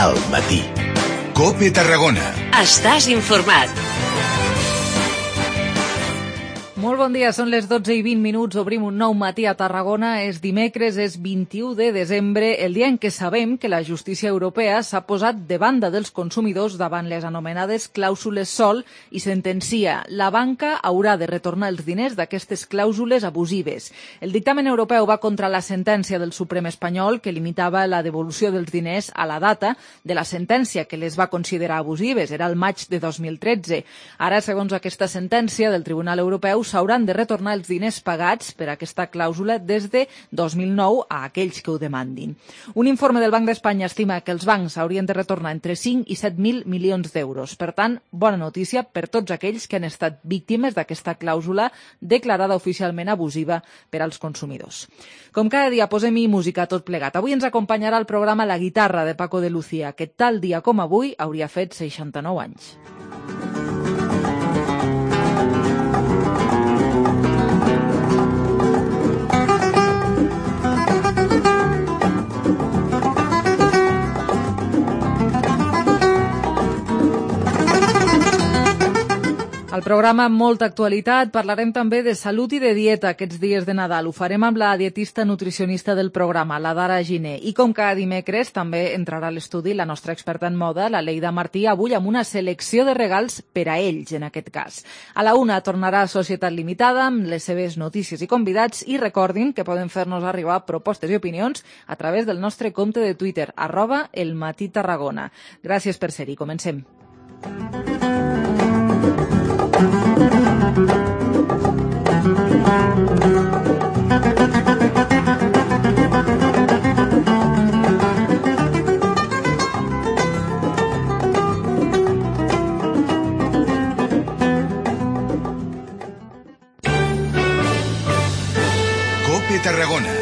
al matí. COPE Tarragona. Estàs informat. Molt bon dia, són les 12:20, obrim un nou matí a Tarragona. És dimecres, és 21 de desembre, el dia en què sabem que la justícia europea s'ha posat de banda dels consumidors davant les anomenades clàusules sol i sentencia: la banca haurà de retornar els diners d'aquestes clàusules abusives. El dictamen europeu va contra la sentència del Suprem espanyol que limitava la devolució dels diners a la data de la sentència que les va considerar abusives, era el maig de 2013. Ara, segons aquesta sentència del Tribunal Europeu, s'hauran de retornar els diners pagats per aquesta clàusula des de 2009 a aquells que ho demandin. Un informe del Banc d'Espanya estima que els bancs haurien de retornar entre 5 i 7.000 milions d'euros. Per tant, bona notícia per tots aquells que han estat víctimes d'aquesta clàusula declarada oficialment abusiva per als consumidors. Com cada dia, posem-hi música tot plegat. Avui ens acompanyarà el programa La Guitarra de Paco de Lucía, que tal dia com avui hauria fet 69 anys. Al programa amb molta actualitat parlarem també de salut i de dieta aquests dies de Nadal. Ho farem amb la dietista nutricionista del programa, la Dara Giner. I com cada dimecres també entrarà a l'estudi la nostra experta en moda, la Leida Martí, avui amb una selecció de regals per a ells, en aquest cas. A la 1 tornarà Societat Limitada amb les seves notícies i convidats i recordin que poden fer-nos arribar propostes i opinions a través del nostre compte de Twitter, @elmatí_tarragona. Gràcies per ser-hi. Comencem. COPE Tarragona.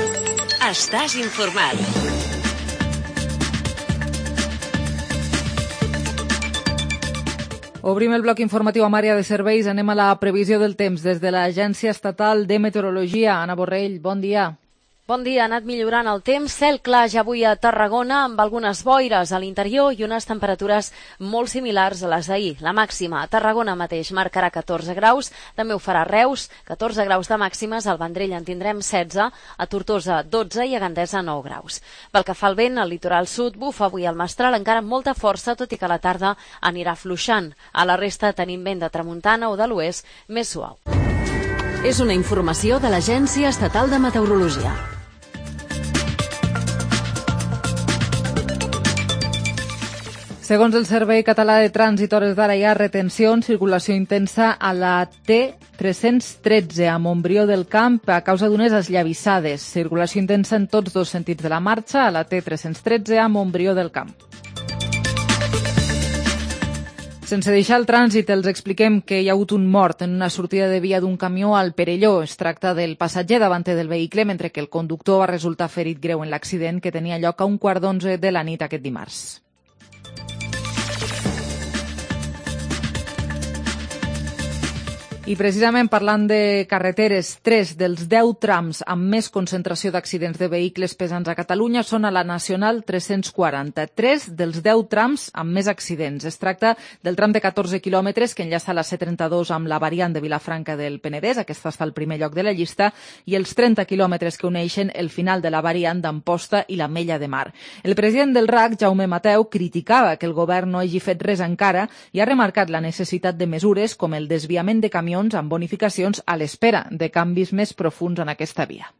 Estàs informat. Obrim el bloc informatiu amb àrea de serveis. Anem a la previsió del temps des de l'Agència Estatal de Meteorologia. Anna Borrell, bon dia. Bon dia, ha anat millorant el temps, cel clar ja avui a Tarragona amb algunes boires a l'interior i unes temperatures molt similars a les d'ahir. La màxima a Tarragona mateix marcarà 14 graus, també ho farà Reus, 14 graus de màximes, al Vendrell en tindrem 16, a Tortosa 12 i a Gandesa 9 graus. Pel que fa al vent, al litoral sud bufa avui al mestral encara amb molta força, tot i que a la tarda anirà fluixant. A la resta tenim vent de tramuntana o de l'oest més suau. És una informació de l'Agència Estatal de Meteorologia. Segons el Servei Català de Trànsit, hores d'ara hi ha retenció en circulació intensa a la T313 a Montbrió del Camp a causa d'unes esllavissades. Circulació intensa en tots dos sentits de la marxa a la T313 a Montbrió del Camp. Sense deixar el trànsit, els expliquem que hi ha hagut un mort en una sortida de via d'un camió al Perelló. Es tracta del passatger davanter del vehicle, mentre que el conductor va resultar ferit greu en l'accident que tenia lloc a 11:15 de la nit aquest dimarts. I precisament parlant de carreteres, 3 dels 10 trams amb més concentració d'accidents de vehicles pesants a Catalunya són a la Nacional 340. 3 dels 10 trams amb més accidents. Es tracta del tram de 14 quilòmetres que enllaça la C32 amb la variant de Vilafranca del Penedès, aquesta està al primer lloc de la llista, i els 30 quilòmetres que uneixen el final de la variant d'Amposta i l'Ametlla de Mar. El president del RAC, Jaume Mateu, criticava que el govern no hagi fet res encara i ha remarcat la necessitat de mesures com el desviament de camions amb bonificacions a l'espera de canvis més profuns en aquesta via.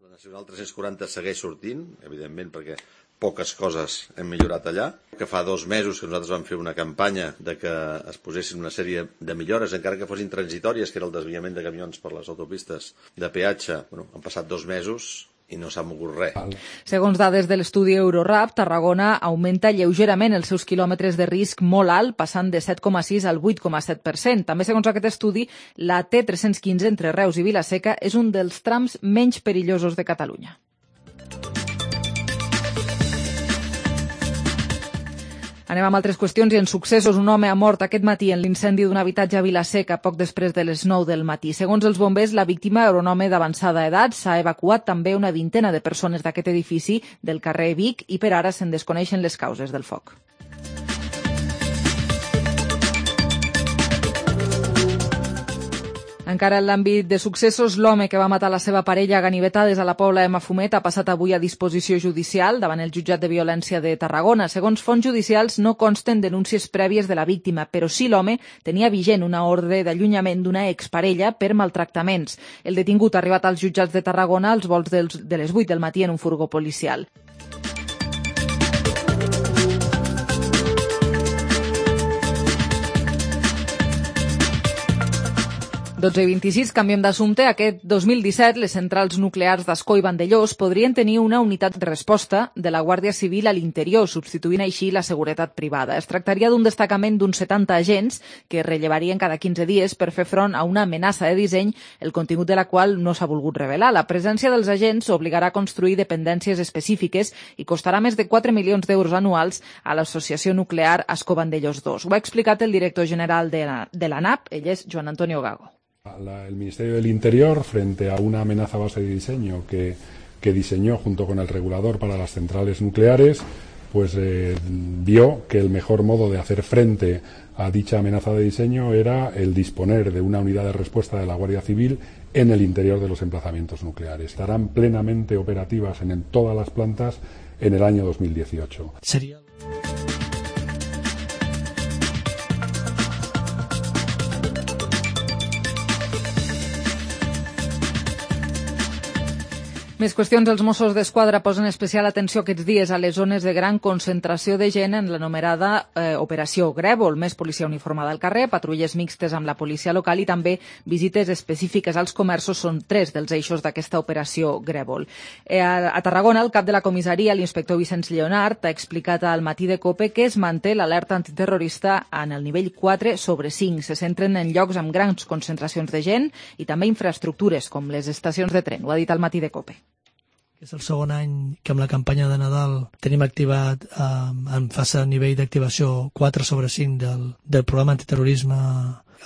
La Nacional 340 segueix sortint, evidentment, perquè poques coses hem millorat allà. Que fa 2 mesos que nosaltres vam fer una campanya de que es posessin una sèrie de millores, encara que fossin transitòries, que era el desviament de camions per les autopistes de peatge. Han passat 2 mesos i no s'ha mogut res. Segons dades de l'estudi Eurorap, Tarragona augmenta lleugerament els seus quilòmetres de risc molt alt, passant de 7,6 al 8,7%. També, segons aquest estudi, la T315 entre Reus i Vila-seca és un dels trams menys perillosos de Catalunya. Anem amb altres qüestions i en successos. Un home ha mort aquest matí en l'incendi d'un habitatge a Vila-seca poc després de les 9 del matí. Segons els bombers, la víctima era un home d'avançada edat. S'ha evacuat també una vintena de persones d'aquest edifici del carrer Vic i per ara se'n desconeixen les causes del foc. Encara en l'àmbit de successos, l'home que va matar la seva parella a ganivetades a la Pobla de Mafumet ha passat avui a disposició judicial davant el jutjat de violència de Tarragona. Segons fonts judicials, no consten denúncies prèvies de la víctima, però sí l'home tenia vigent una ordre d'allunyament d'una exparella per maltractaments. El detingut ha arribat als jutjats de Tarragona als volts de les 8 del matí en un furgó policial. i 26, canviem d'assumpte. Aquest 2017, les centrals nuclears d'Ascó i Vandellòs podrien tenir una unitat de resposta de la Guàrdia Civil a l'interior, substituint així la seguretat privada. Es tractaria d'un destacament d'uns 70 agents que rellevarien cada 15 dies per fer front a una amenaça de disseny, el contingut de la qual no s'ha volgut revelar. La presència dels agents obligarà a construir dependències específiques i costarà més de 4 milions d'euros anuals a l'Associació Nuclear Ascó Vandellòs 2. Ho ha explicat el director general de l'ANAP, ell és Joan Antonio Gago. El Ministerio del Interior, frente a una amenaza base de diseño que diseñó junto con el regulador para las centrales nucleares, pues vio que el mejor modo de hacer frente a dicha amenaza de diseño era el disponer de una unidad de respuesta de la Guardia Civil en el interior de los emplazamientos nucleares. Estarán plenamente operativas en todas las plantas en el año 2018. Més qüestions. Els Mossos d'Esquadra posen especial atenció aquests dies a les zones de gran concentració de gent en l'anomenada Operació Grèvol. Més policia uniformada al carrer, patrulles mixtes amb la policia local i també visites específiques als comerços són 3 dels eixos d'aquesta Operació Grèvol. A Tarragona, el cap de la comissaria, l'inspector Vicenç Lleonart, ha explicat al Matí de COPE que es manté l'alerta antiterrorista en el nivell 4/5. Se centren en llocs amb grans concentracions de gent i també infraestructures com les estacions de tren. Ho ha dit al Matí de COPE. És el segon any que amb la campanya de Nadal tenim activat en fase a nivell d'activació 4/5 del programa antiterrorisme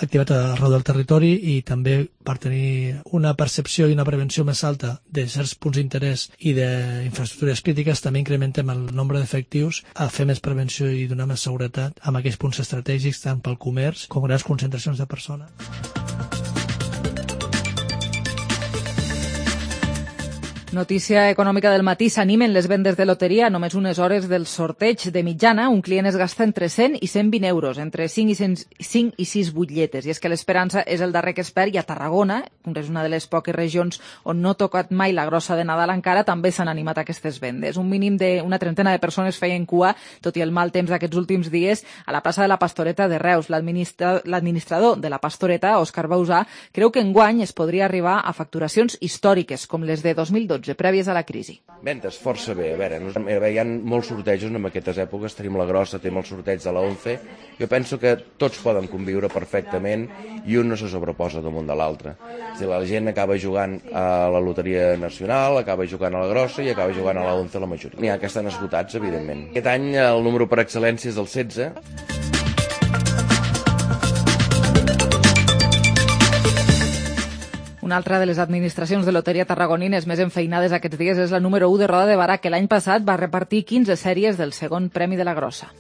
activat arreu del territori i també per tenir una percepció i una prevenció més alta de certs punts d'interès i d'infraestructures crítiques també incrementem el nombre d'efectius a fer més prevenció i donar més seguretat amb aquells punts estratègics tant pel comerç com grans concentracions de persones. Notícia econòmica del matí. S'animen les vendes de loteria a només unes hores del sorteig. De mitjana, un client es gasta entre 100 i 120 euros, entre 5 i 6 butlletes. I és que l'Esperança és el darrer que es perd i a Tarragona, que és una de les poques regions on no ha tocat mai la grossa de Nadal encara, també s'han animat aquestes vendes. Un mínim d'una trentena de persones feien cua, tot i el mal temps d'aquests últims dies, a la plaça de la Pastoreta de Reus. L'administrador de la Pastoreta, Òscar Bausà, creu que enguany es podria arribar a facturacions històriques, com les de 2012, prèvies a la crisi. Ventes força bé. A veure, hi ha molts sortejos en aquestes èpoques. Tenim la grossa, tenim el sorteig de la 11. Jo penso que tots poden conviure perfectament i un no se sobreposa damunt de l'altre. És a dir, la gent acaba jugant a la loteria nacional, acaba jugant a la grossa i acaba jugant a la 11 la majoria. N'hi ha que estan esgotats, evidentment. Aquest any el número per excel·lència és el 16. Una altra de les administracions de loteria tarragonines més enfeinades aquests dies és la número 1 de Roda de Barà, que l'any passat va repartir 15 sèries del segon premi de la grossa.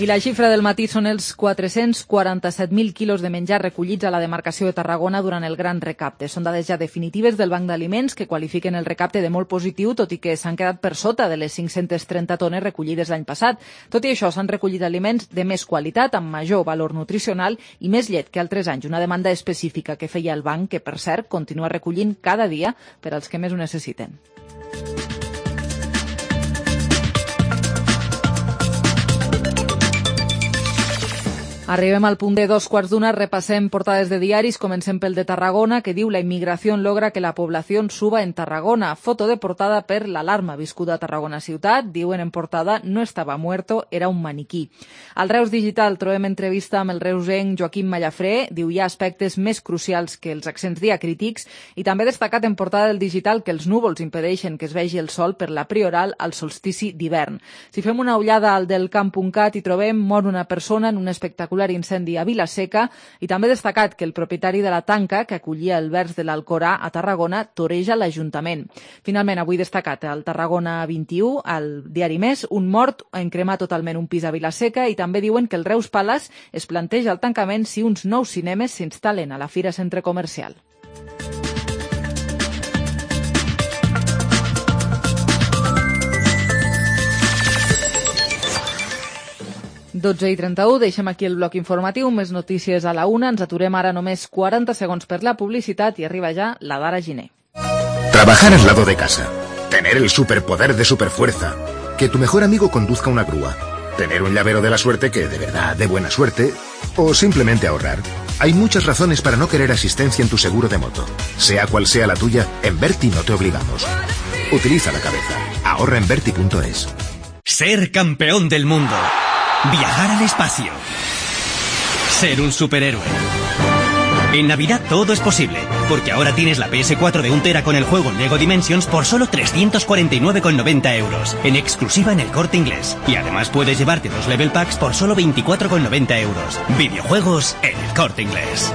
I la xifra del matí són els 447.000 quilos de menjar recollits a la demarcació de Tarragona durant el gran recapte. Són dades ja definitives del Banc d'Aliments que qualifiquen el recapte de molt positiu, tot i que s'han quedat per sota de les 530 tones recollides l'any passat. Tot i això, s'han recollit aliments de més qualitat, amb major valor nutricional i més llet que altres anys. Una demanda específica que feia el banc, que per cert continua recollint cada dia per als que més ho necessiten. Arribem al punt de 2:15, repassem portades de diaris, comencem pel de Tarragona, que diu: la inmigració logra que la població suba en Tarragona. Foto de portada per l'alarma viscuda a Tarragona ciutat. Diuen en portada: no estava muerto, era un maniquí. Al Reus Digital trobem entrevista amb el reusenc Joaquim Mallafré. Diu: hi ha aspectes més crucials que els accents diacrítics. I també destacat en portada del Digital que els núvols impedeixen que es vegi el sol per la Prioral al solstici d'hivern. Si fem una ullada al del camp.cat hi trobem: mor una persona en un espectacular incendi a Vila-seca, i també destacat que el propietari de la tanca que acollia el vers de l'Alcorà a Tarragona toreja l'Ajuntament. Finalment, avui destacat al Tarragona 21, al diari Més, un mort en cremar totalment un pis a Vila-seca, i també diuen que el Reus Palace es planteja el tancament si uns nous cinemes s'instal·len a la Fira Centre Comercial. Dotze i 31, deixem aquí el bloc informatiu, més notícies a la 1, ens aturem ara només 40 segons per la publicitat i arriba ja la Dara Giner. Trabajar al lado de casa, tener el superpoder de superfuerza, que tu mejor amigo conduzca una grúa, tener un llavero de la suerte que de verdad dé buena suerte, o simplemente ahorrar. Hay muchas razones para no querer asistencia en tu seguro de moto. Sea cual sea la tuya, en Verti no te obligamos. Utiliza la cabeza. Ahorra en Verti.es. Ser campeón del mundo. Viajar al espacio. Ser un superhéroe. En Navidad todo es posible, porque ahora tienes la PS4 de 1 tera con el juego Lego Dimensions por solo 349,90 euros, en exclusiva en el Corte Inglés. Y además puedes llevarte 2 level packs por solo 24,90 euros. Videojuegos en el Corte Inglés.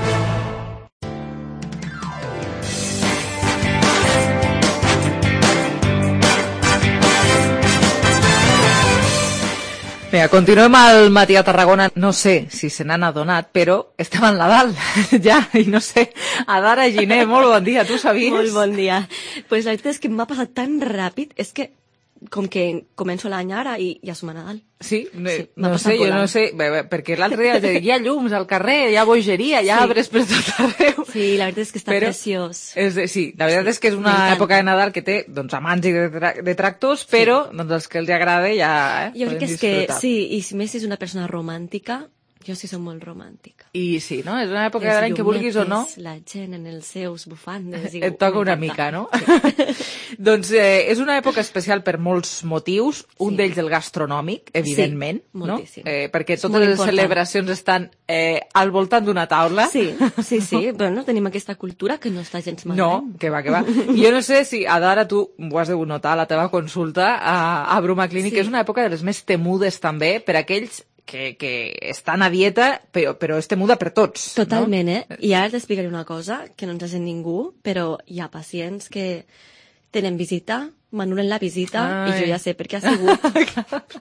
Vinga, continuem al matí a Tarragona. No sé si se n'han adonat, però estem en Nadal, ja, i no sé. Adara Giner, molt bon dia, tu sabies? Molt bon dia. Pues la veritat és que m'ha passat tan ràpid, és que com que començo l'any ara i ja som a Nadal. Sí, no sé, jo no sé, perquè l'altre dia hi ha llums al carrer, hi ha bogeria, hi ha arbres per tot arreu. Sí, la veritat és que està preciós. Sí, la veritat és que és una època de Nadal que té amants i detractors, però els que els agrada ja jo crec poden que és disfrutar. que sí, i si més és una persona romàntica, jo sí soc molt romàntica. I sí, no? És una època de l'any que vulguis o no. La gent en els seus bufandes. Et toca una mica, no? Doncs és una època especial per molts motius, un d'ells el gastronòmic, evidentment, no? Perquè totes les celebracions estan al voltant d'una taula. Sí, bueno, tenim aquesta cultura que no està gens malament. No, que va. Jo no sé si, Adara, tu ho has de notar a la teva consulta a Bruma Clínic, que és una època de les més temudes també per aquells que estan a dieta, però és temuda per tots. Totalment, no? I ara t'explicaré una cosa que no ens ha sent ningú, però hi ha pacients que tenen visita, m'anulen la visita i jo ja sé per què ha sigut.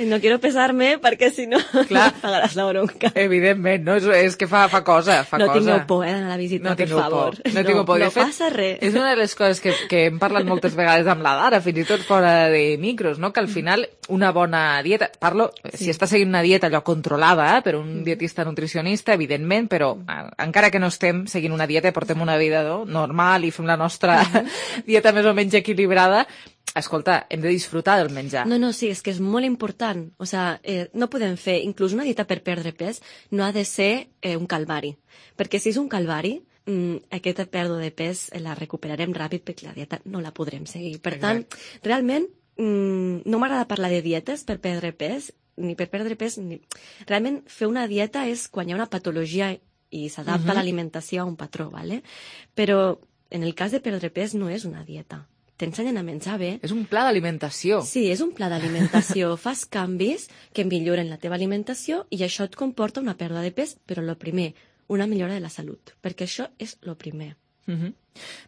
No quiero pesar-me perquè si no pagaràs la bronca. Evidentment, no? És que fa cosa. No tingueu por d'anar a la visita, per favor. No tingueu por. No passa res. És una de les coses que hem parlat moltes vegades amb la Dara, fins i tot fora de micros, no? Que al final una bona dieta, si estàs seguint una dieta allò controlada per un dietista nutricionista, evidentment, però encara que no estem seguint una dieta, portem una vida normal i fem la nostra dieta més o menys equilibrada, escolta, hem de disfrutar del menjar. No, sí, és que és molt important. O sigui, no podem fer, inclús una dieta per perdre pes, no ha de ser un calvari. Perquè si és un calvari, aquesta pèrdua de pes la recuperarem ràpid perquè la dieta no la podrem seguir. Per tant, realment, no m'agrada parlar de dietes per perdre pes, ni per perdre pes, ni... Realment, fer una dieta és quan hi ha una patologia i s'adapta l'alimentació a un patró, ¿vale? Però en el cas de perdre pes no és una dieta. T'ensenyen a menjar bé. És un pla d'alimentació. Sí, és un pla d'alimentació. Fas canvis que milloren la teva alimentació i això et comporta una pèrdua de pes, però el primer, una millora de la salut, perquè això és el primer.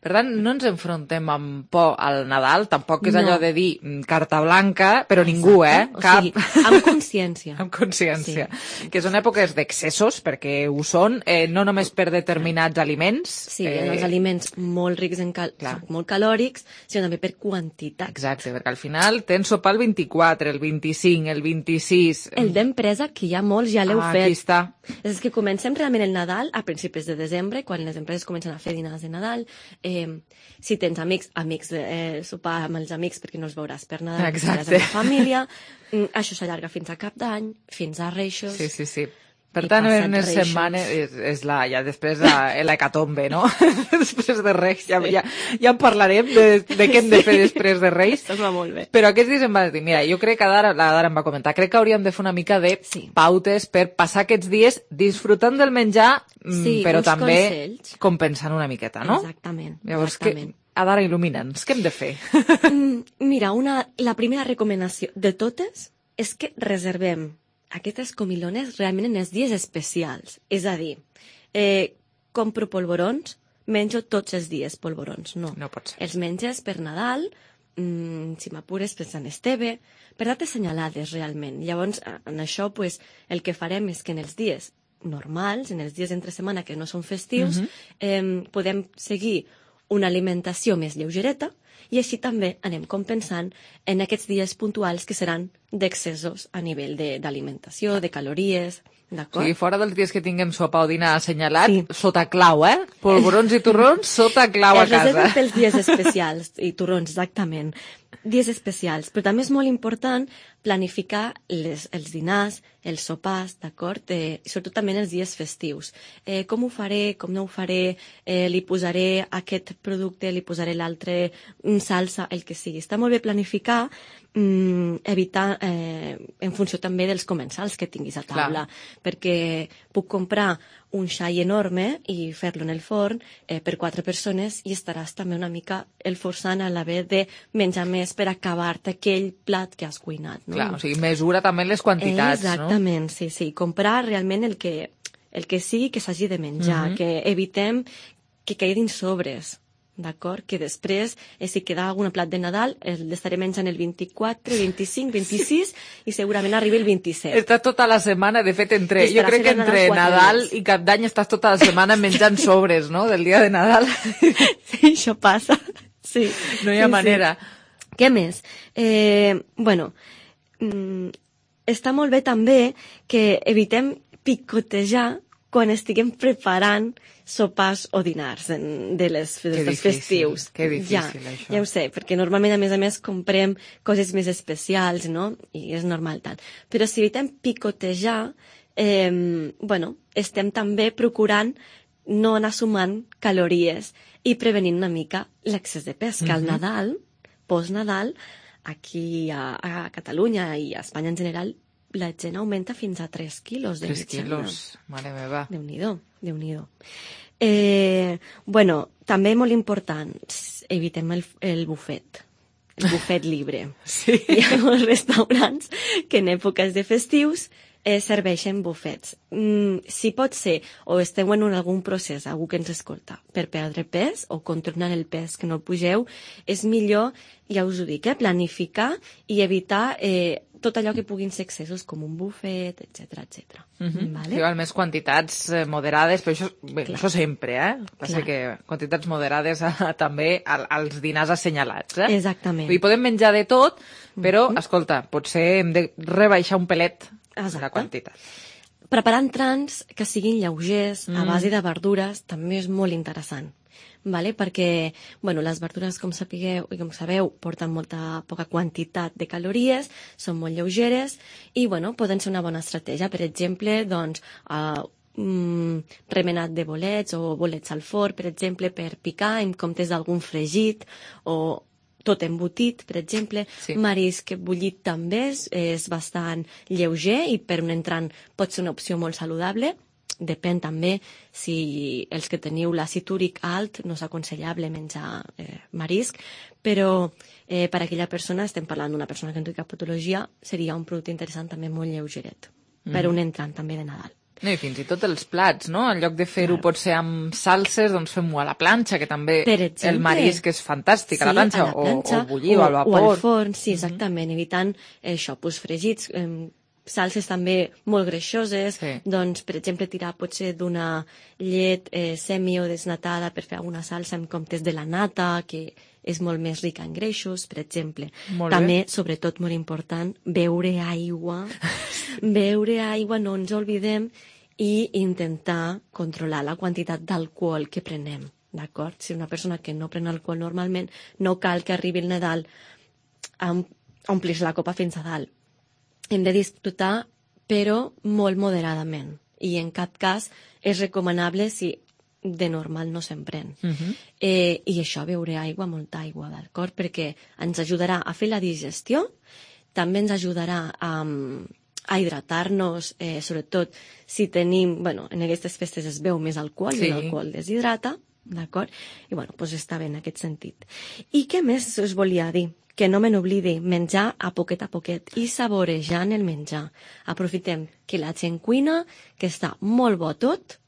Per tant, no ens enfrontem amb por al Nadal, tampoc és allò de dir carta blanca, però ningú, Cap. O sigui, amb consciència. Amb consciència. Sí. Que són èpoques d'excessos, perquè ho són, no només per determinats aliments. Sí, els aliments molt rics en molt calòrics, sinó també per quantitat. Exacte, perquè al final tens sopar el 24, el 25, el 26... El d'empresa, que ja molts ja l'heu fet. Aquí està. És que comencem realment el Nadal a principis de desembre, quan les empreses comencen a fer dinars de Nadal. Si tens amics, sopar amb els amics perquè no els veuràs per Nadal, exacte, amb la família. Això s'allarga fins a Cap d'Any, fins a Reixos. Sí. Per tant, en unes setmanes és ja després l'hecatombe, no? Després de Reis, ja en parlarem de què hem de fer després de Reis. Això va molt bé. Però aquests dies em va dir, mira, jo crec que la Dara em va comentar, crec que hauríem de fer una mica de pautes per passar aquests dies disfrutant del menjar, però també compensant una miqueta, no? Exactament. Llavors, Dara, il·lumina'ns, què hem de fer? Mira, la primera recomanació de totes és que reservem aquestes comilones realment en els dies especials. És a dir, compro polvorons, menjo tots els dies polvorons. No pot ser. Els menges per Nadal, si m'apures per Sant Esteve, per dates assenyalades realment. Llavors, en això, el que farem és que en els dies normals, en els dies entre setmana que no són festius, podem seguir una alimentació més lleugereta, i així també anem compensant en aquests dies puntuals que seran d'excessos a nivell d'alimentació, de calories, d'acord? O sigui, fora dels dies que tinguem sopa o dinar assenyalat, sota clau, Polvorons i torrons, sota clau a casa. Reserven pels dies especials, i torrons, exactament. Dies especials, però també és molt important planificar els dinars, els sopars, d'acord? Sobretot també en els dies festius. Com ho faré, com no ho faré, li posaré aquest producte, li posaré l'altre, salsa, el que sigui. Està molt bé planificar, evitar, en funció també dels comensals que tinguis a taula, perquè puc comprar un xai enorme i fer-lo en el forn per 4 persones i estaràs també una mica esforçant a l'haver de menjar més per acabar-te aquell plat que has cuinat. No? Clar, o sigui, mesura també les quantitats, Exactament, no? Sí. Comprar realment el que sigui que s'hagi de menjar, que evitem que quedin sobres. D'acord? Que després, si queda algun plat de Nadal, l'estaré menjant el 24, 25, 26 i segurament arribi el 27. Estàs tota la setmana, de fet, jo crec que entre Nadal i Cap d'Any estàs tota la setmana menjant sobres, no?, del dia de Nadal. Sí, això passa. Sí. No hi ha manera. Què més? Està molt bé també que evitem picotejar quan estiguem preparant sopars o dinars dels festius. Que difícil, això. Ja ho sé, perquè normalment, a més, comprem coses més especials, no? I és normal tant. Però si evitem picotejar, estem també procurant no anar sumant calories i prevenint una mica l'excés de pes, que al Nadal, post-Nadal, aquí a Catalunya i a Espanya en general, la gent augmenta fins a 3 quilos de mitjana. 3 quilos, mare meva. Déu-n'hi-do. També molt important, evitem el bufet. El bufet libre. Sí. Hi ha molts restaurants que en èpoques de festius serveixen bufets. Si pot ser, o esteu en algun procés, algú que ens escolta, per perdre pes o controlar el pes que no el pugeu, és millor, ja us ho dic, planificar i evitar tot allò que puguin ser excessos, com un bufet, etc. Vale? Sí, més quantitats moderades, però això sempre, Passa que quantitats moderades també als dinars assenyalats. Exactament. I podem menjar de tot, però, escolta, potser hem de rebaixar un pelet la quantitat. Preparar entrants que siguin lleugers, a base de verdures, també és molt interessant. Vale? Perquè les verdures, com sapigueu i com sabeu, porten poca quantitat de calories, són molt lleugeres i poden ser una bona estratègia. Per exemple, remenat de bolets o bolets al forn, per exemple, per picar en comptes d'algun fregit o tot embotit, per exemple. Sí. Marisc bullit també és bastant lleuger i per un entrant pot ser una opció molt saludable. Depèn també si els que teniu l'àcid úric alt no és aconsellable menjar marisc, però per a aquella persona, estem parlant d'una persona que no té cap patologia, seria un producte interessant també molt lleugeret, per un entrant també de Nadal. No, i fins i tot els plats, no? En lloc de fer-ho potser amb salses, doncs fem-ho a la planxa, que també el marisc és fantàstic, a la planxa, o bullir o al vapor. O al forn, sí, exactament, evitant això, fregits, salses també molt greixoses, doncs, per exemple, tirar potser d'una llet semi o desnatada per fer alguna salsa en comptes de la nata, que és molt més rica en greixos, per exemple. També, sobretot, molt important, beure aigua. Beure aigua, no ens oblidem, i intentar controlar la quantitat d'alcohol que prenem, d'acord? Si una persona que no pren alcohol normalment, no cal que arribi el Nadal a omplir la copa fins a dalt. Hem de disfrutar, però molt moderadament. i en cap cas és recomanable si de normal no se'n pren. I això, beure aigua, molta aigua, d'acord? Perquè ens ajudarà a fer la digestió, també ens ajudarà a hidratar-nos, sobretot si tenim, en aquestes festes es beu més alcohol i l'alcohol deshidrata, d'acord? I doncs està bé en aquest sentit. I què més us volia dir? Que no me n'oblidi, menjar a poquet i saborejant el menjar. Aprofitem que la gent cuina, que està molt bo tot,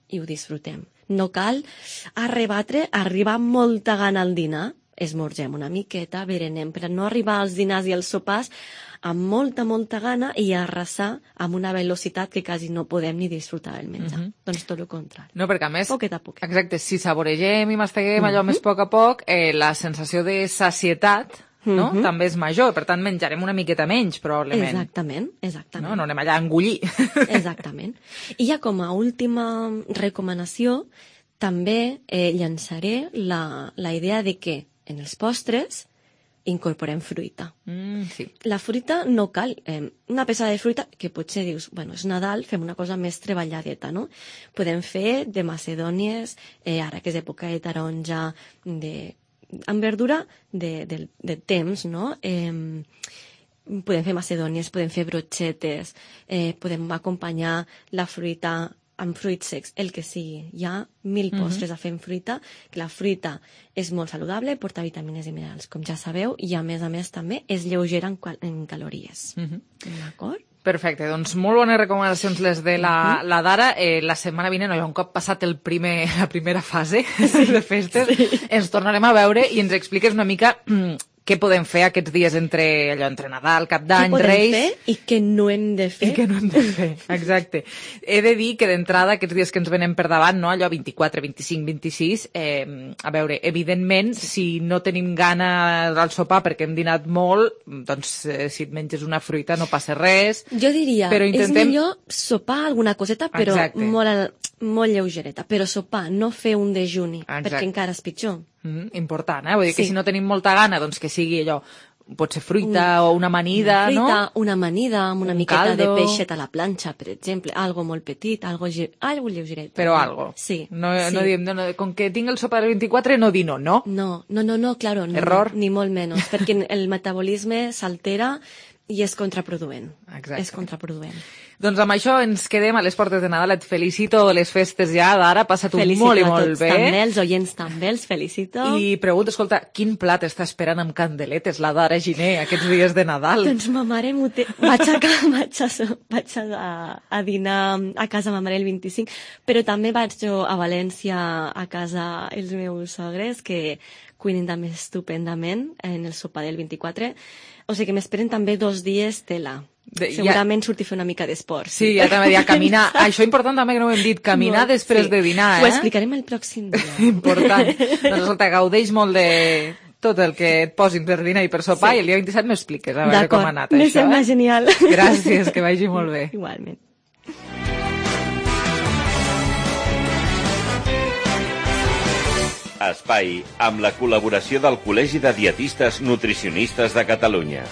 i ho disfrutem. No cal arribar amb molta gana al dinar, esmorzem una miqueta, berenem, per no arribar als dinars i als sopars amb molta gana i arrasar amb una velocitat que quasi no podem ni disfrutar del menjar. Doncs tot el contrari. No, perquè a més, poquet a poquet. Exacte, si saboregem i masteguem allò més a poc, la sensació de sacietat també és major, per tant menjarem una miqueta menys, probablement. Exactament. No anem allà a engullir. Exactament. I ja com a última recomanació, també llançaré la idea de que en els postres incorporem fruita. La fruita no cal. Una peça de fruita que potser dius, és Nadal, fem una cosa més treballadeta, no? Podem fer de macedònies, ara que és època de taronja, amb verdura de temps, no? Podem fer macedònies, podem fer brochetes, podem acompanyar la fruita amb fruits secs, el que sigui. Hi ha 1000 postres a fer amb fruita, que la fruita és molt saludable, porta vitamines i minerals, com ja sabeu, i a més també és lleugera en calories. D'acord? Perfecte, doncs molt bones recomanacions les de la Dara. La setmana vinent, un cop passat la primera fase de festes, ens tornarem a veure i ens expliques una mica què podem fer aquests dies entre Nadal, Cap d'Any, Reis... Què podem fer i què no hem de fer. I què no hem de fer, exacte. He de dir que d'entrada, aquests dies que ens venen per davant, no? Allò 24, 25, 26, a veure, evidentment, si no tenim gana del sopar perquè hem dinat molt, doncs si et menges una fruita no passa res. Jo diria, és millor sopar alguna coseta, però molt lleugereta. Però sopar, no fer un dejuni, perquè encara és pitjor. Important, Vull dir que si no tenim molta gana, doncs que sigui allò, pot ser fruita o una amanida, no? Una amanida amb una miqueta de peixet a la planxa, per exemple, algo molt petit, algo lleugeret. Però algo. Sí. No diem, com que tinc el sopar del 24, no dir no. No, claro, no. Error. Ni molt menys, perquè el metabolisme s'altera i és contraproduent. Exacte. És contraproduent. Doncs amb això ens quedem a les portes de Nadal. Et felicito les festes ja d'ara, passa-t'ho molt i molt bé. També, els oients també, els felicito. I pregunto, escolta, quin plat està esperant amb candeletes la Dara Giner aquests dies de Nadal? Doncs ma mare vaig a dinar a casa ma mare el 25, però també vaig a València a casa els meus sogres, que cuinen també estupendament en el sopar del 24. O sigui que m'esperen també 2 dies tela. Segurament surti a fer una mica d'esport. Sí, ja també a caminar. Això important també que no ho hem dit, caminar després de dinar. Ho explicarem el pròxim dia. Important. Doncs escolta, gaudeix molt de tot el que et posin per dinar i per sopar i el dia 27 m'expliques a veure com ha anat això. Me sembla genial. Gràcies, que vagi molt bé. Igualment. Espai, amb la col·laboració del Col·legi de Dietistes Nutricionistes de Catalunya.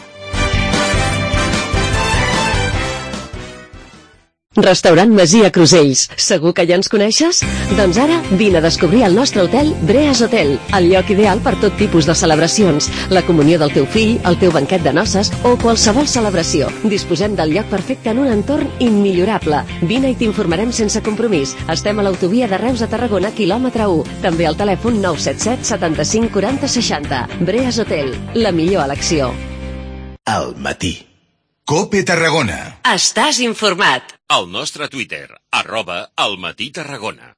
Restaurant Masia Crusells. Segur que ja ens coneixes? Doncs ara vine a descobrir el nostre hotel Breas Hotel, el lloc ideal per tot tipus de celebracions, la comunió del teu fill, el teu banquet de noces o qualsevol celebració. Disposem del lloc perfecte en un entorn immillorable. Vine i t'informarem sense compromís. Estem a l'autovia de Reus a Tarragona, quilòmetre 1. També al telèfon 977 75 40 60. Breas Hotel, la millor elecció. Al matí. COPE Tarragona. Estàs informat. Al nostre Twitter, @almatí-tarragona.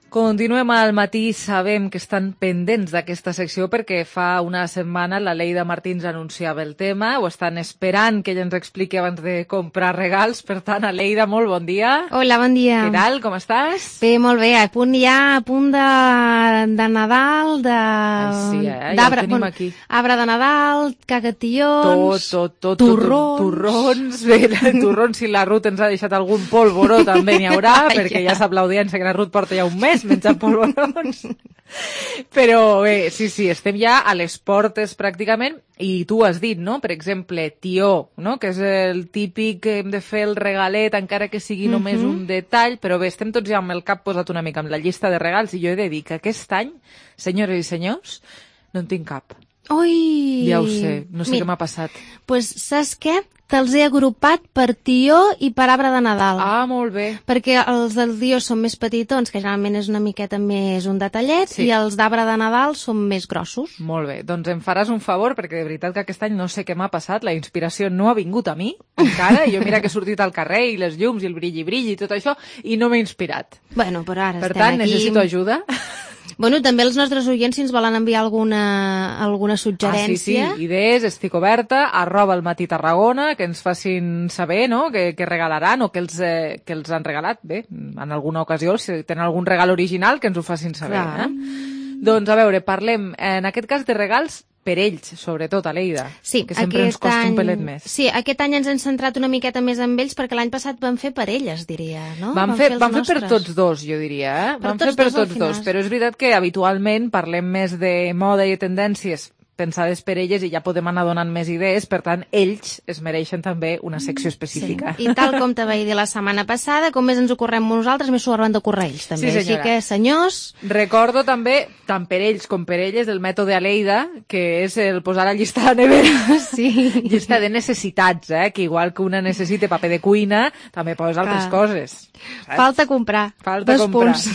Continuem al matí, sabem que estan pendents d'aquesta secció perquè fa una setmana la Leida Martins anunciava el tema, ho estan esperant que ella ens expliqui abans de comprar regals, per tant, Leida, molt bon dia. Hola, bon dia. Què tal, com estàs? Bé, molt bé, a punt de Nadal, sí, ja ho tenim aquí. Arbre de Nadal, cagations, tot, torrons. Torrons, bé, torrons, si la Ruth ens ha deixat algun polvoró també n'hi haurà, perquè ja sap l'audiència que la Ruth porta ja un mes menjant polvorons. Però bé, sí, estem ja a les portes pràcticament, i tu has dit, no? Per exemple, tió, no? Que és el típic que hem de fer el regalet, encara que sigui només un detall, però bé, estem tots ja amb el cap posat una mica amb la llista de regals, i jo he de dir que aquest any, senyores i senyors, no en tinc cap. Ui! Ja ho sé, no sé què m'ha passat. Pues saps què? Te'ls he agrupat per tió i per arbre de Nadal. Ah, molt bé. Perquè els del tió són més petitons, que generalment és una miqueta més un detallet, i els d'arbre de Nadal són més grossos. Molt bé, doncs em faràs un favor, perquè de veritat que aquest any no sé què m'ha passat, la inspiració no ha vingut a mi, encara, i jo mira que he sortit al carrer, i les llums, i el brilli i tot això, i no m'he inspirat. Bueno, però ara per tant, necessito ajuda. Bueno, també els nostres oients, si ens volen enviar alguna suggerència... Sí, idees, estic oberta, @elmatí_Tarragona, que ens facin saber, no?, què regalaran o que els han regalat. Bé, en alguna ocasió, si tenen algun regal original, que ens ho facin saber. Doncs, a veure, parlem, en aquest cas, de regals per ells, sobretot, a l'Eida, que sempre ens costa un pelet més. Sí, aquest any ens hem centrat una miqueta més amb ells, perquè l'any passat vam fer per elles, diria, no? Vam fer per tots dos, jo diria, Vam fer per tots dos, però és veritat que habitualment parlem més de moda i de tendències pensades per elles i ja podem anar donant més idees, per tant, ells es mereixen també una secció específica. Sí. I tal com te vaig dir la setmana passada, com més ens ocorrem nosaltres, més s'ho hauran d'ocórrer ells, també. Sí, així que, senyors... Recordo també, tant per ells com per elles, el mètode Aleida, que és el posar la llista a la nevera. Sí. Llista de necessitats, que igual que una necessita paper de cuina, també poses altres coses. Saps? Falta comprar. Dos punts.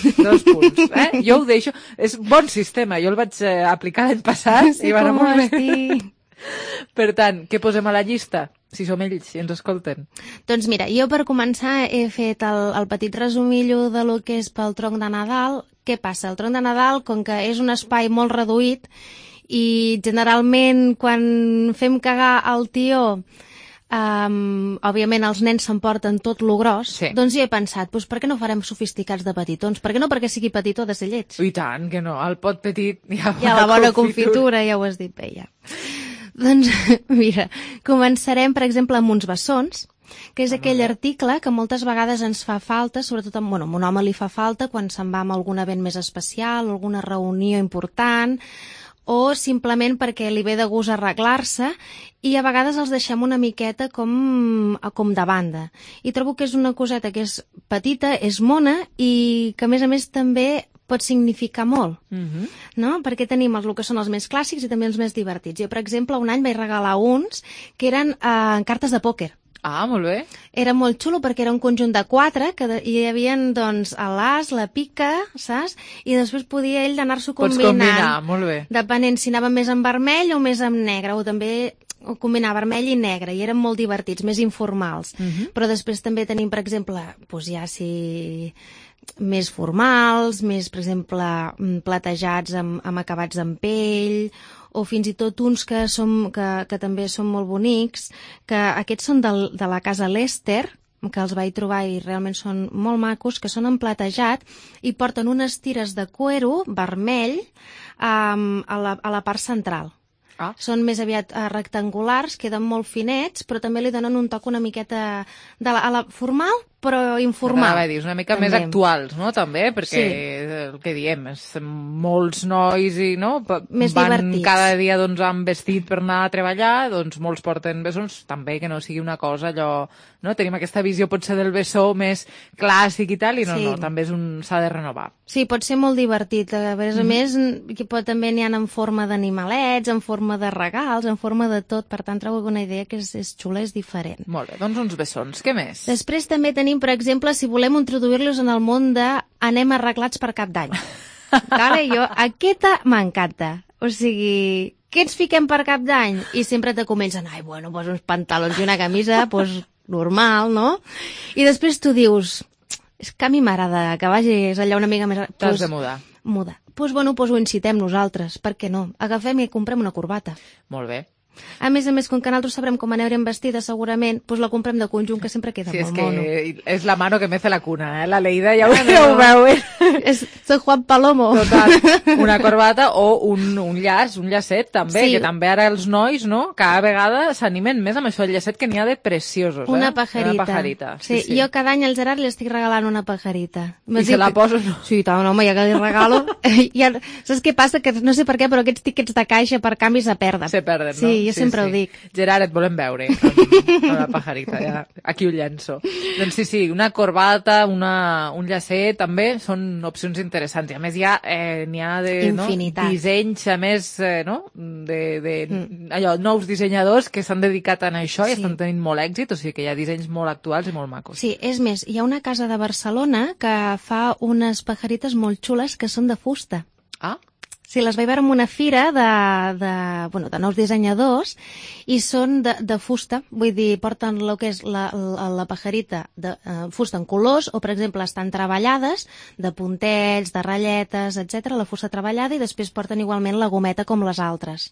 Jo ho deixo. És bon sistema. Jo el vaig aplicar l'any passat i va anar molt bé. Per tant, què posem a la llista? Si som ells, si ens escolten. Doncs mira, jo per començar he fet el petit resumillo de lo que és pel tronc de Nadal. Què passa? El tronc de Nadal, com que és un espai molt reduït i generalment quan fem cagar el tió òbviament els nens s'emporten tot lo gros, doncs jo he pensat, doncs per què no farem sofisticats de petitons? Per què no perquè sigui petitó ha de ser lleig? I tant, que no, el pot petit hi ha la bona confitura, ja ho has dit bé, ja. Doncs mira, començarem per exemple amb uns bessons, que és aquell article que moltes vegades ens fa falta, sobretot a un home li fa falta quan se'n va a algun event més especial, alguna reunió important, o simplement perquè li ve de gust arreglar-se, i a vegades els deixem una miqueta com de banda. I trobo que és una coseta que és petita, és mona, i que a més també pot significar molt, no? Perquè tenim el que són els més clàssics i també els més divertits. Jo, per exemple, un any vaig regalar uns que eren cartes de pòquer. Ah, molt bé. Era molt xulo perquè era un conjunt de 4 que hi havia, doncs, l'as, la pica, saps? I després podia ell anar-s'ho combinant. Pots combinar, molt bé. Depenent si anava més en vermell o més en negre, o també combinar vermell i negre, i eren molt divertits, més informals. Però després també tenim, per exemple, doncs ja si més formals, més, per exemple, platejats amb acabats en pell, o fins i tot uns que també són molt bonics, que aquests són de la casa Lester, que els vaig trobar i realment són molt macos, que són en platejat i porten unes tires de cuero vermell a la part central. Són més aviat rectangulars, queden molt finets, però també li donen un toc una miqueta formal, però informal. És una mica més actuals, no?, també, perquè el que diem, molts nois van cada dia amb vestit per anar a treballar, doncs molts porten bessons, també que no sigui una cosa allò, no? Tenim aquesta visió potser del bessó més clàssic i tal, i no, també s'ha de renovar. Sí, pot ser molt divertit. A més, també n'hi ha en forma d'animalets, en forma de regals, en forma de tot, per tant trobo una idea que és xula, és diferent. Molt bé, doncs uns bessons, què més? Després també tenim, per exemple, si volem introduir-los en el món de anem arreglats per Cap d'Any. Aquesta m'encanta. O sigui, què ens fiquem per Cap d'Any? I sempre te comencen, doncs uns pantalons i una camisa, doncs normal, no? I després tu dius, és que a mi m'agrada que vagis allà una mica més... T'has de mudar. Doncs ho incitem nosaltres, per què no? Agafem i comprem una corbata. Molt bé. A més, com que nosaltres sabrem com anirem vestides segurament, doncs la comprem de conjunt, que sempre queda molt mono. Sí, és que és la mano que mece la cuna, la Leida ja ho veu. Soy Juan Palomo. Total, una corbata o un llacet també, que també ara els nois, no?, cada vegada s'animen més amb això, el llacet, que n'hi ha de preciosos, Una pajarita. Sí, jo cada any al Gerard li estic regalant una pajarita. I se la poso, no? Sí, tant, home, ja que li regalo. Saps què passa? Que no sé per què, però aquests tíquets de caixa per canvi se perden. Se perden, no? Sí, jo sempre ho dic. Gerard, et volem veure amb la pajarita, ja. Aquí ho llenço. Doncs sí, una corbata, un llacet, també són opcions interessants. I a més n'hi ha de dissenys, a més, allò, nous dissenyadors que s'han dedicat a això i estan tenint molt èxit, o sigui que hi ha dissenys molt actuals i molt macos. Sí, és més, hi ha una casa de Barcelona que fa unes pajarites molt xules que són de fusta. Ah? Sí, les vaig veure en una fira de nous dissenyadors i són de fusta, vull dir, porten el que és la pajarita de fusta en colors o, per exemple, estan treballades de puntells, de ratlletes, etc. la fusta treballada, i després porten igualment la gometa com les altres.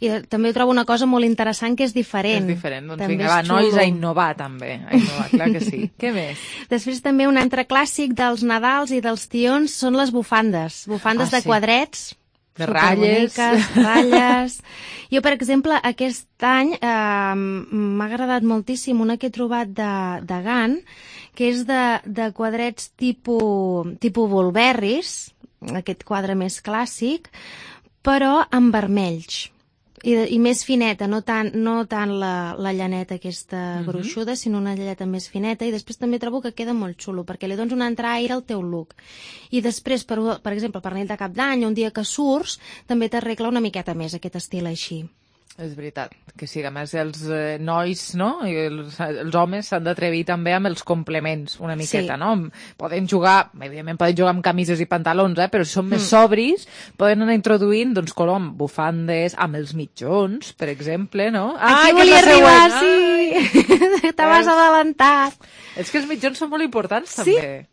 I també trobo una cosa molt interessant que és diferent. És diferent, doncs vinga, va, nois, a innovar també, a innovar, clar que sí. Què més? Després també un altre clàssic dels Nadals i dels tions són les bufandes de quadrets, de ratlles. Jo, per exemple, aquest any m'ha agradat moltíssim una que he trobat de Gant, que és de quadrets tipus Bulberris, aquest quadre més clàssic, però amb vermells. I més fineta, no tant la llaneta aquesta gruixuda, sinó una llaneta més fineta, i després també trobo que queda molt xulo, perquè li dones un entraire al teu look. I després, per exemple, per nit de cap d'any, un dia que surts, també t'arregla una miqueta més aquest estil així. És veritat, que sí, a més els nois, no?, i els homes s'han d'atrevir també amb els complements una miqueta, no? Poden jugar, evidentment poden jugar amb camises i pantalons, però si són més sobris, poden anar introduint, doncs, color amb bufandes, amb els mitjons, per exemple, no? Aquí volia arribar, sí! T'has adelantat! És que els mitjons són molt importants, també. Sí.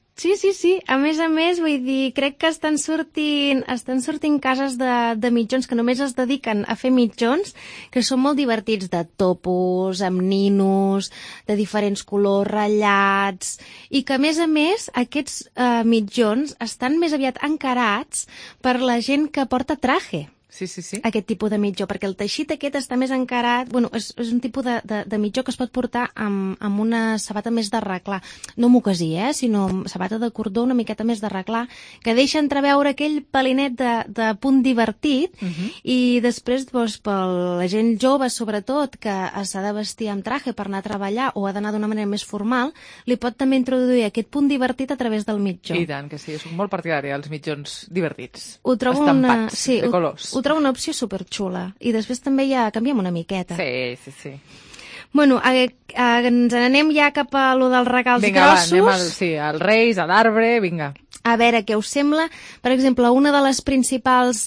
A més, vull dir, crec que estan sortint cases de mitjons que només es dediquen a fer mitjons, que són molt divertits, de topos, amb ninos, de diferents colors, ratllats, i que, a més, aquests mitjons estan més aviat encarats per la gent que porta traje. Sí. Aquest tipus de mitjó, perquè el teixit aquest està més encarat, és un tipus de mitjó que es pot portar amb una sabata més de reclar, no mocasí, sinó sabata de cordó una miqueta més de reclar, que deixa entreveure aquell pelinet de punt divertit, i després, per la gent jove, sobretot, que s'ha de vestir amb traje per anar a treballar o ha d'anar d'una manera més formal, li pot també introduir aquest punt divertit a través del mitjó. I tant, que sí, soc molt partidària dels mitjons divertits, estampats, de colors. Ho trobo una opció superxula. I després també ja canviem una miqueta. Sí. Bueno, ens n'anem ja cap a lo dels regals grossos. Vinga, va, anem als Reis, a l'arbre, vinga. A veure què us sembla. Per exemple, una de les principals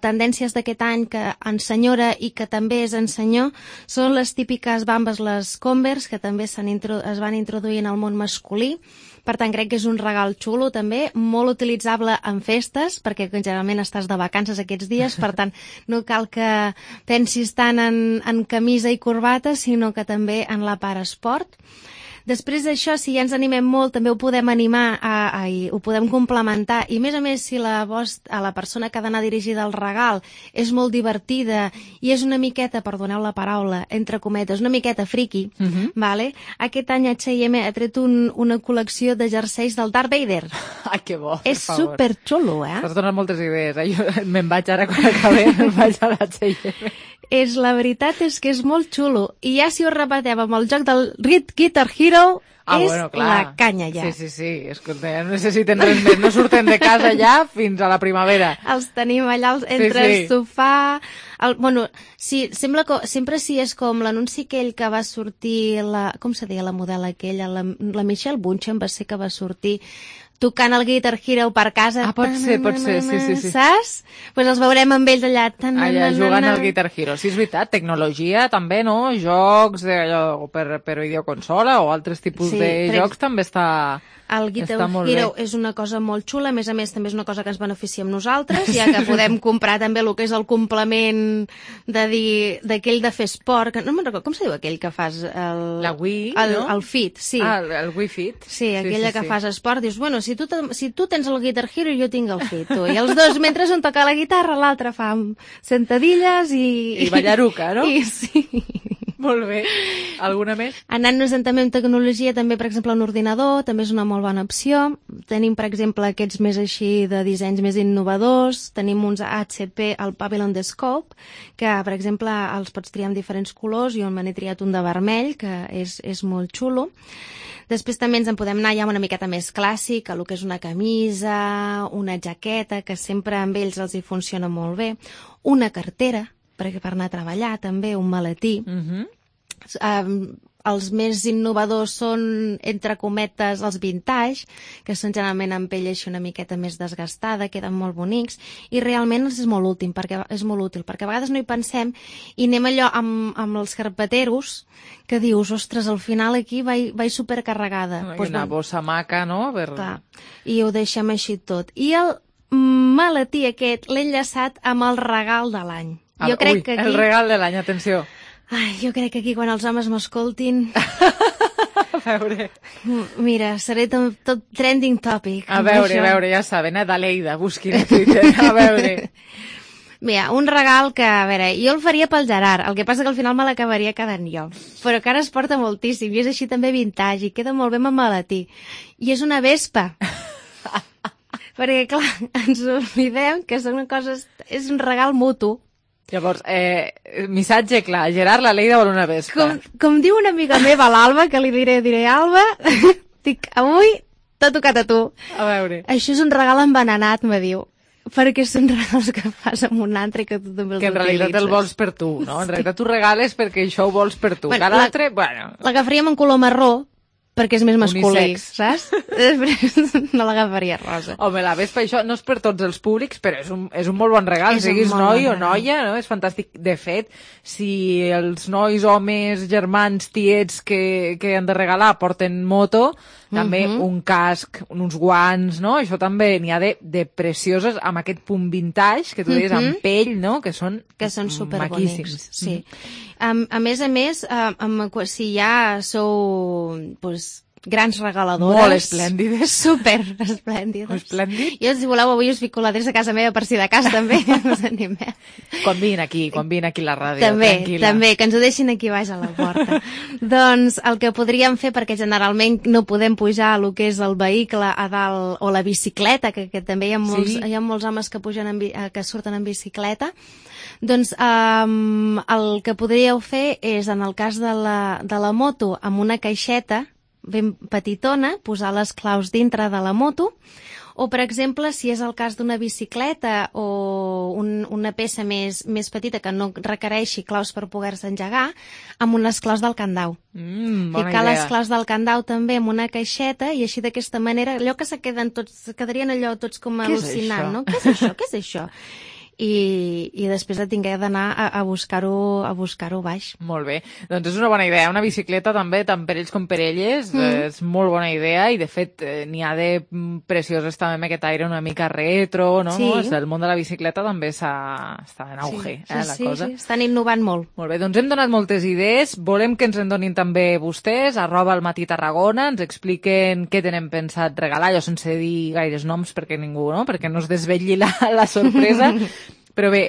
tendències d'aquest any que ensenyora i que també és ensenyor són les típiques bambes, les Converse, que també es van introduir en el món masculí. Per tant, crec que és un regal xulo, també, molt utilitzable en festes, perquè generalment estàs de vacances aquests dies, per tant, no cal que pensis tant en camisa i corbata, sinó que també en la part esport. Després d'això, si ja ens animem molt, també ho podem animar i ho podem complementar. I a més, si la persona que ha d'anar dirigida al regal és molt divertida i és una miqueta, perdoneu la paraula, entre cometes, una miqueta friqui, vale? Aquest any H&M ha tret una col·lecció de jerseis del Darth Vader. Ai, que bo, és superxulo, T'has donat moltes idees, Jo me'n vaig ara quan acabem, me'n vaig a l'H&M. La veritat és que és molt xulo. I ja si ho repetem amb el joc del Guitar Hero, la canya ja. Sí. Escolta, ja no necessiten res més. No surten de casa ja fins a la primavera. Els tenim allà entre el sofà... sembla que sempre és com l'anunci aquell que va sortir, com se deia la model aquella, la Michelle Bunchen va ser que va sortir tocant el Guitar Hero per casa. Pot ser, sí. Saps? Doncs els veurem amb ells allà. Allà jugant al Guitar Hero. Sí, és veritat, tecnologia també, no? Jocs per videoconsola o altres tipus de jocs també està... El Guitar Hero és una cosa molt xula, a més també és una cosa que ens beneficiem nosaltres, ja que podem comprar també el que és el complement d'aquell de fer esport, que no me'n recordo, com se diu aquell que fas? La Wii, no? El Fit, sí. El Wii Fit. Sí, aquella que fas esport, dius, bueno, si si tu tens el Guitar Hero i jo tinc el Fito, i els dos, mentre un toca la guitarra, l'altre fa sentadilles i ballaruca, no? Sí. Molt bé. Alguna més? Anant-nos també en tecnologia, també, per exemple, un ordinador, també és una molt bona opció. Tenim, per exemple, aquests més així de dissenys més innovadors. Tenim uns HP, el Pavilion Scope, que, per exemple, els pots triar en diferents colors. Jo me n'he triat un de vermell, que és molt xulo. Després també ens en podem anar ja una miqueta més clàssic, el que és una camisa, una jaqueta, que sempre amb ells els hi funciona molt bé. Una cartera, per anar a treballar, també, un maletí. Els més innovadors són, entre cometes, els vintage, que són generalment amb pell així una miqueta més desgastada, queden molt bonics, i realment és molt útil, perquè a vegades no hi pensem, i anem allò amb els carpeteros, que dius, ostres, al final aquí vaig supercarregada. Una bossa maca, no? Clar, i ho deixem així tot. I el maletí aquest l'he enllaçat amb el regal de l'any. Jo crec que aquí... el regal de l'any, atenció. Ai, jo crec que aquí quan els homes m'escoltin... A veure... Mira, seré tot trending topic. A veure, ja saben, d'Aleida, busquin a Twitter, a veure... Mira, un regal que, a veure, jo el faria pel Gerard, el que passa que al final me l'acabaria quedant jo, però que ara es porta moltíssim, i és així també vintage, i queda molt bé amb maletí. I és una vespa. Perquè, clar, ens oblidem que són coses... És un regal mutu. Llavors, missatge clar, Gerard, l'Aleida vol una vespa. Com diu una amiga meva, l'Alba, que li diré, Alba, dic, avui t'ha tocat a tu. A veure. Això és un regal envenenat, me diu. Perquè són regals que fas amb un altre que tu també els utilitzes. Que en realitat el vols per tu, no? En realitat tu regales perquè això ho vols per tu. Cada altre, bueno... L'agafaríem en color marró, perquè és més masculí, unisex, saps? Després no l'agafaria rosa. Home, la vespa, això no és per tots els públics, però és un molt bon regal, siguis noi o noia, no? És fantàstic. De fet, si els nois, homes, germans, tiets que han de regalar porten moto, també un casc, uns guants, no? Això també n'hi ha de precioses amb aquest punt vintage, que tu deies, amb pell, no? Que són superbonics. Sí. A més, si ja sou grans regaladores... Molt esplèndides. Super esplèndides. Esplèndid. Jo, si voleu, avui us fico l'adreça a casa meva per si de cas, també. Us animeu. Quan vine aquí a la ràdio, també, que ens ho deixin aquí baix a la porta. Doncs el que podríem fer, perquè generalment no podem pujar el que és el vehicle a dalt, o la bicicleta, que també hi ha molts homes que que surten en bicicleta, doncs el que podríeu fer és, en el cas de la moto, amb una caixeta ben petitona, posar les claus dintre de la moto, o, per exemple, si és el cas d'una bicicleta o una peça més petita que no requereixi claus per poder-se engegar, amb unes claus del candau. Ficar les claus del candau també en una caixeta, i així d'aquesta manera, allò que quedarien allò tots com al·lucinant, no? Què és això? I després tingué d'anar a buscar-ho baix. Molt bé, doncs és una bona idea. Una bicicleta també, tant per ells com per elles, és molt bona idea, i de fet n'hi ha de precioses també amb aquest aire una mica retro, no? Sí. El món de la bicicleta també està en auge, la cosa. Sí, estan innovant molt. Molt bé, doncs hem donat moltes idees, volem que ens en donin també vostès, @almatí_tarragona, ens expliquen què tenen pensat regalar, jo sense dir gaires noms perquè ningú, no? Perquè no es desvetlli la sorpresa. Però bé,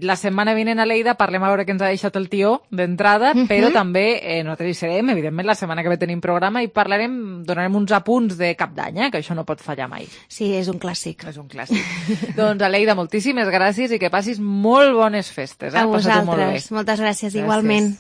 la setmana vinent a Lleida parlem a veure què ens ha deixat el tió d'entrada, però també nosaltres hi serem, evidentment, la setmana que ve tenim programa i donarem uns apunts de cap d'any, que això no pot fallar mai. Sí, és un clàssic. És un clàssic. Doncs, Aleida, moltíssimes gràcies i que passis molt bones festes. A vosaltres, moltes gràcies, igualment.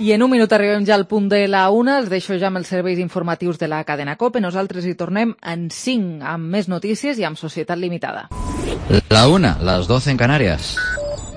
I en un minut arribem ja al punt de la 1, els deixo ja amb els serveis informatius de la cadena COPE. Nosaltres hi tornem en 5 amb més notícies i amb Societat Limitada. La 1, las 12 en Canarias.